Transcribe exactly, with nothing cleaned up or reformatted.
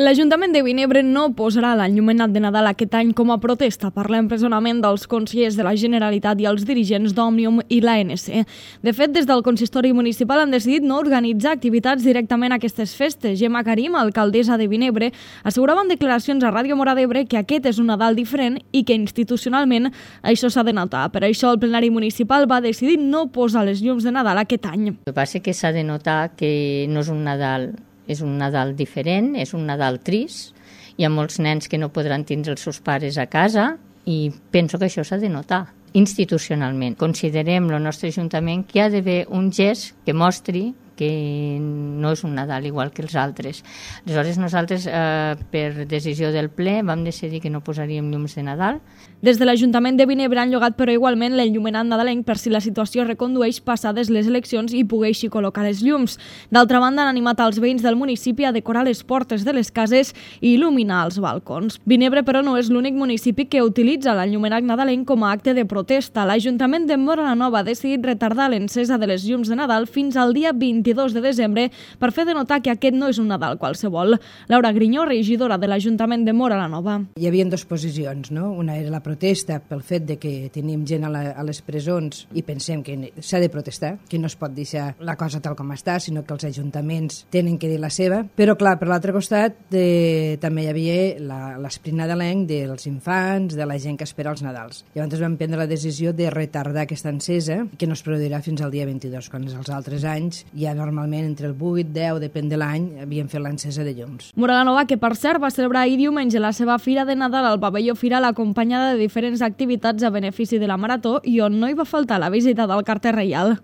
L'Ajuntament de Vinebre no posarà l'enllumenat de Nadal aquest any com a protesta per l'empresonament dels consellers de la Generalitat i els dirigents d'Òmnium i l'A N C. De fet, des del consistori municipal han decidit no organitzar activitats directament a aquestes festes. Gemma Karim, alcaldessa de Vinebre, assegurava en declaracions a Ràdio Móra d'Ebre que aquest és un Nadal diferent i que institucionalment això s'ha de notar. Per això el plenari municipal va decidir no posar les llums de Nadal aquest any. El que passa és que s'ha de notar que no és un Nadal És un Nadal diferent, és un Nadal trist. Hi ha molts nens que no podran tindre els seus pares a casa i penso que això s'ha de notar institucionalment. Considerem el nostre Ajuntament que hi ha d'haver un gest que mostri que no és un Nadal igual que els altres. Aleshores, nosaltres, eh, per decisió del ple, vam decidir que no posaríem llums de Nadal. Des de l'Ajuntament de Vinebre han llogat, però igualment, l'enllumenat nadalenc per si la situació recondueix passades les eleccions i pogueixi col·locar les llums. D'altra banda, han animat els veïns del municipi a decorar les portes de les cases i il·luminar els balcons. Vinebre, però, no és l'únic municipi que utilitza l'enllumenat nadalenc com a acte de protesta. L'Ajuntament de Móra la Nova ha decidit retardar l'encesa de les llums de Nadal fins al dia vint-i-dos de desembre per fer de notar que aquest no és un Nadal qualsevol. Laura Grinyó, regidora de l'Ajuntament de Móra la Nova. Hi havia dues posicions, no? Una era la protesta pel fet de que tenim gent a, la, a les presons i pensem que s'ha de protestar, que no es pot deixar la cosa tal com està, sinó que els ajuntaments tenen que dir la seva. Però, clar, per l'altre costat de, també hi havia l'esprit nadalenc dels infants, de la gent que espera els Nadals. Llavors vam prendre la decisió de retardar aquesta encesa, que no es produirà fins al dia vint-i-dos, quan els altres anys ja normalment entre el vuit i deu, depèn de l'any, havien fet l'encesa de llums. Móra la Nova, que per cert va celebrar ahir diumenge la seva fira de Nadal al pavelló Firal acompanyada de diferents activitats a benefici de la Marató i on no hi va faltar la visita del carter reial.